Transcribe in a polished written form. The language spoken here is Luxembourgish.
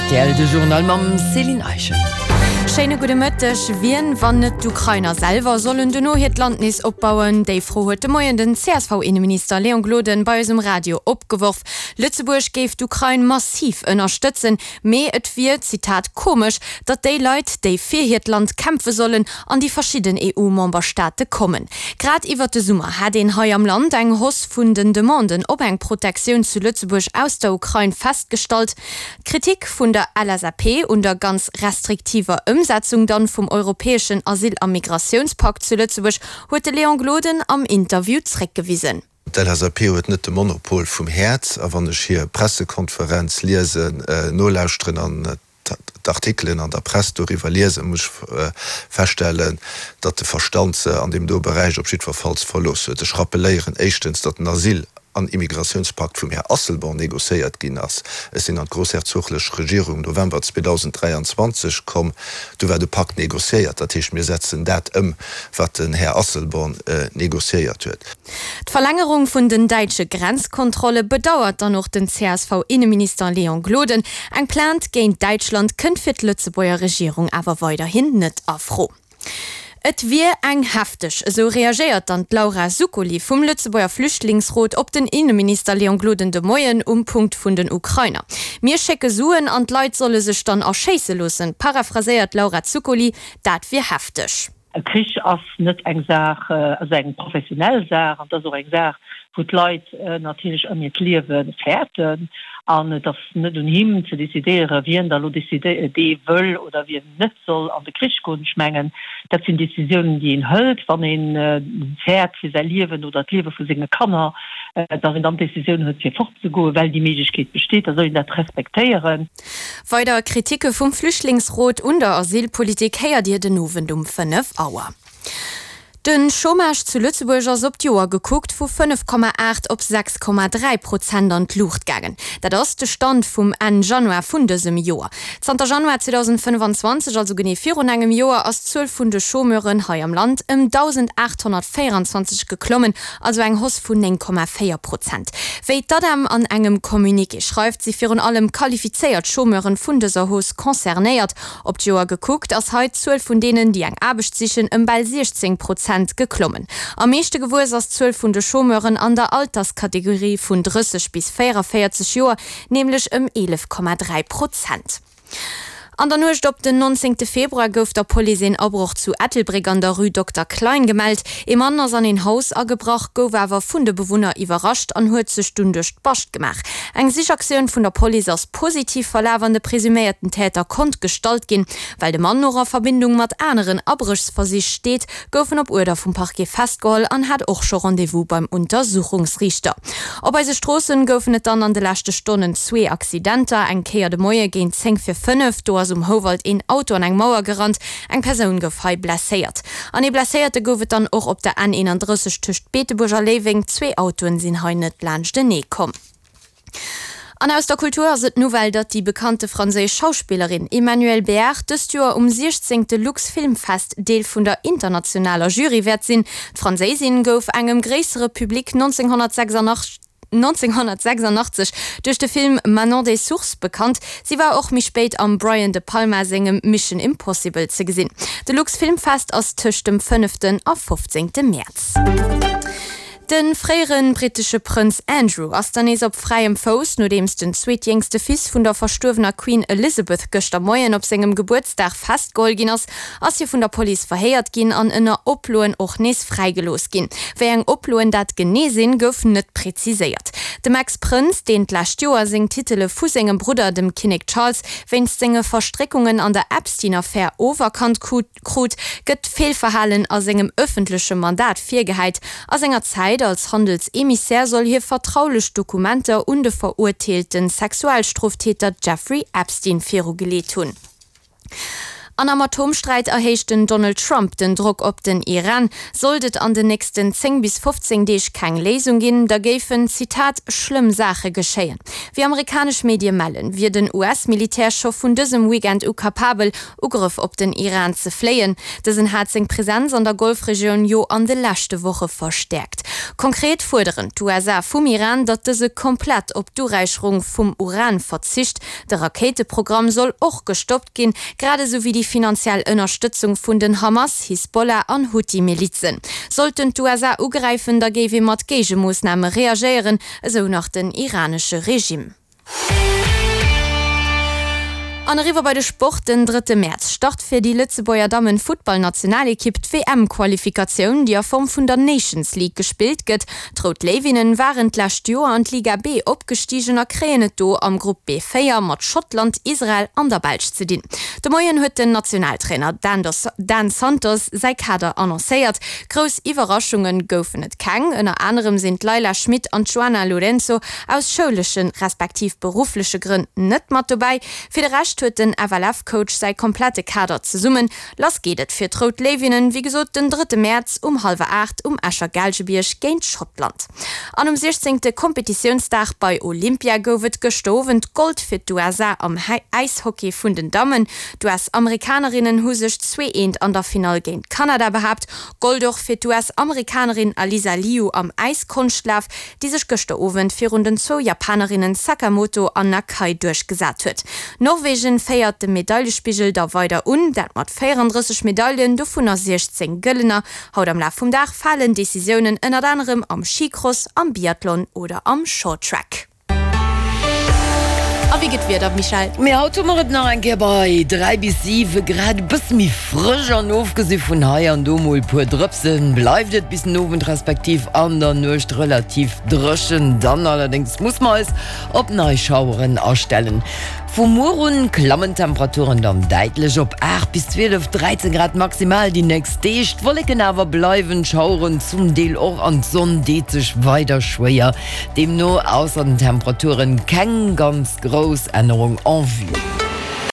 Rtl, de Journal mam Céline Eischen. Schéine gudde Mëtteg. Wien, wann net d'Ukrainer selwer, sollen dono hiert Land nees opbauen? Déi Fro huet de Moien den CSV-Inneminister Léon Gloden bei eis um Radio opgeworf. Lëtzebuerg géif d'Ukrain massiv ënnerstëtzen, mee et wier, Zitat, komesch, datt déi Leit, déi fir hiert Land kämpfe sollen, an déi verschidden EU-Memberstaate kommen. Grad iwwert de Summer hätt een hei am Land eng Hausse vun den Demanden op eng Protektioun zu Lëtzebuerg aus der Ukrain festgestallt. D'Kritik vun der LSAP un der ganz restriktiver Ëmsetzung dann vum europäeschen Asyl a Migratiounspakt zu Lëtzebuerg huet de Léon Gloden am Interview zréckgewisen. D'LSAP huet net de Monopol vum Häerz a wann ech hir Pressekonferenz liesen, nolauschteren an d'Artikelen an der Press doriwwer liesen, muss ech feststellen, datt de Verstand se an deem do Beräich op jiddwerfalls verlooss huet. Ech rappeléieren éischtens, datt den Asyl an Immigratiounspakt vum Här Asselborn négociéiert ginn ass. Ech sinn an d'grossherzoglech Regierung November 2023 komm, du war de Pakt négociéiert. Dat heescht, mir setzen dat ëm, wat den Här Asselborn négociéiert huet. D'Verlängerung vun den däitsche Grenzkontrolle bedauert dann och den CSV-Inneminister Léon Gloden. Eng Plainte géint Däitschland kënnt fir d'Lëtzebuerger Regierung awer weiderhin net a Fro. Et wier eng hefteg, esou reagéiert dann d'Laura Zuccoli vum Lëtzebuerger Flüchtlingsrot op den Inneminister Léon Gloden de Moien um Punkt vun den Ukrainer. Mir schécke Suen an d'Leit solle sech dann erschéisse loossen, paraphraséiert d'Laura Zuccoli, dat wier hefteg. E Krich ass net eng Saach, ass eng professionell Saach an et ass och eng Saach, wou d'Leit natierlech ëm hiert Liewe fäerten. An et ass net un him ze decidéieren, wien da elo dee wëll oder wien net soll an de Krich goen. Ech mengen, dat sinn Decisiounen, déi een hëlt, wann ee fäert fir säi Liewen oder d'Liewe vu senge Kanner, datt een dann d'Decisioun huet, fir fortzegoen, well déi Méiglechkeet besteet. Da soll een dat respektéieren. Weider Kritike vum Flüchtlingsrot un der Asylpolitik héiert Dir den Owend um 5 Auer. De Chômage zu Lëtzebuerg ass op d'Joer gekuckt vu 5,8 op 6,3 Prozent an d'Luucht gaangen. Dat ass de Stand vum Enn Januar vun dësem Joer. Zanter Januar 2025, also genee virun engem Joer, ass d'Zuel vun de Chômeuren hei am Land ëm 1.824 geklommen, also eng Hausse vun 9,4 Prozent. Wéi d'ADEM an engem Communiqué schreift, si virun allem qualifizéiert Chômeuren vun dëser Hausse concernéiert. Op d'Joer gekuckt ass hei d'Zuel vun deenen, déi eng Aarbecht sichen, ëm bal 16 Prozent geklommen. Am meeschte gewuess ass d'Zuel vun de Chômeuren an der Alterskategorie vun 30 bis 44 Joer, nämlech ëm 11,3 Prozent. An der Nuecht op den 19 Februar gouf der Police een Abroch zu Ettelbréck an der Rue Dokter Klein gemellt. Ee Mann ass an een Haus agebrach, gouf awer vun de Bewunner iwwerrascht an huet sech dunn duerch d'Bascht gemaach. Eng Sichaktioun vun der Police ass positiv verlaf an de presuméierten Täter konnt gestallt ginn. Well de Mann och a Verbindung mat aneren Abréchsversich steet, gouf en op Uerder vum Parquet festgeholl an hat och scho Rendez-vous beim Untersuchungsriichter. Op eise Stroossen goufen et dann an de leschte Stonnen zwee Accidenter. Eng Kéier de Moie géint 10 vir 5, do ass um Houwald een Auto an eng Mauer gerannt. Eng Persoun gouf hei blesséiert. An ee Blesséierte gouf et dann och op der N 31 tëscht Beetebuerg a Léiweng. Zwee Autoen sinn hei net laanschtenee komm. An aus der Kultur ass et d'Nouvelle, datt déi bekannte franséisch Schauspillerin Emmanuelle Béart dëst Joer um 16. Luxfilmfest Deel vun der internationaler Jury wäert sinn. D'Franséisin gouf engem gréissere Public 1986 1986 duerch de Film Manon des Sources bekannt. Si war och méi spéit am Brian De Palma sengem Mission Impossible ze gesinn. De Luxfilmfest ass tëscht dem fënneften a fofzéngte Mäerz. De fréiere brittesche Prënz Andrew ass dann nees op fräiem Fouss, nodeems den zweetjéngste Fils vun der verstuerwener Queen Elizabeth gëschter Moien op sengem Gebuertsdag festgeholl ginn ass, ass hie vun der Police verhéiert ginn an ënner Oploen och nees fräigelooss ginn. Wéi eng Oploen dat genee sinn, gouf net preziséiert. Dem Ex-Prënz, deen d'lescht Joer seng Titele vu sengem Brudder, dem Kinnek Charles, wéinst senge Verstréckungen an der Epstein-Affär oferkannt krut, krut, gëtt Feelverhalen a sengem ëffentleche Mandat virgehäit. A senger Zäit als Handelsemissär soll hie vertraulech Dokumenter un de verurteelte Sexualstroftäter Jeffrey Epstein virugeleet hunn. An am Atomsträit erhéicht den Donald Trump den Drock op den Iran. Sollt et an den nächsten 10 bis 15 Deeg keng Léisung ginn, da géifen, Zitat, schlëmm Saache geschéien. Wéi amerikanesch Medie mellen, wier den US-Militär scho vun dësem Weekend u kapabel, Ugrëff op den Iran ze fléien. Dësen hat seng Presenz an der Golfregioun jo an de leschte Woche verstäerkt. Konkret fuerderen d'USA vum Iran, datt dëse komplett op d'Uräicherung vum Uran verzicht. De Rakéiteprogramm soll och gestoppt ginn, grad esou wéi déi finanziell Ënnerstëtzung vun den Hamas, Hisbollah an Huthi-Milizen. Sollten d'USA ugräifen, da géif ee mat Géigemoossname reagéieren, esou nach den iranesche Regime. An eriwwer bei de Sport, Den drëtte Mäerz start fir déi Lëtzebuerger Dammen-Futtballnationalekipp d'WM-Qualifikatioun, déi a Form vun der Nations League gespillt gëtt. D'Rout Léiwinnen waren d'lescht Joer an d'Liga B opgestigen a kréien et do am Grupp B4 mat Schottland, Israel an der Belsch ze dinn. De Moien huet den Nationaltrainer Dan Santos säi Kader annoncéiert. Grouss Iwwerraschunge goufen et keng, ënner anerem sinn d'Leila Schmit an d'Joana Lourenço aus schouleschen, respektiv beruffleche Grënn net mat dobäi. Fir de Rescht huet den FLF-Coach säi komplette Kader zesummen. Lass geet et fir d'Rout Léiwinnen, wéi gesot, den drëtte Mäerz um hallwer 8 um Escher Gaalgebierg géint Schottland. An um siechzéngte Kompetitiounsdag bei Olympia gouf et gëschter Owend Gold fir d'USA am Äishockey vun den Dammen. D'US-Amerikanerinnen hu sech 2, 1 an der Finall géint Kanada behaapt. Gold och fir d'US-Amerikanerin Alysa Liu am Äiskonschtlaf. déi sech gëschter Owend virun den zwou Japanerinnen Sakamoto an Nakai duerchgesat huet. Norwegen féiert de Medailespigel da weider un, dat mat 34 Medaillen, dovunner 16 gëllener. Haut am Laf vum Dag falen Decisiounen ënnert anerem am Skicross, am Biathlon oder am Shorttrack. A wéi gëtt d'Wieder, Michèle? Mee haut hu mer et nach eng Kéier bei 3 bis 7 Grad, e bësse méi frësch an ofgesi vun hei an do mol e puer Drëpsen bleift et bis den Owend respektiv an der Nuecht relativ dréchen. Dann allerdéngs muss mer eis op nei Schaueren astellen. Vu muer un klammen d'Temperaturen dann däitlech op 8 bis 12, 13 Grad maximal déi nächst Deeg. D'Wolleken awer bleiwen, d'Schaueren zum Deel och an d'Sonn deet sech weider schwéier. Deemno ausser den Temperaturen keng ganz grouss Ännerung en vue.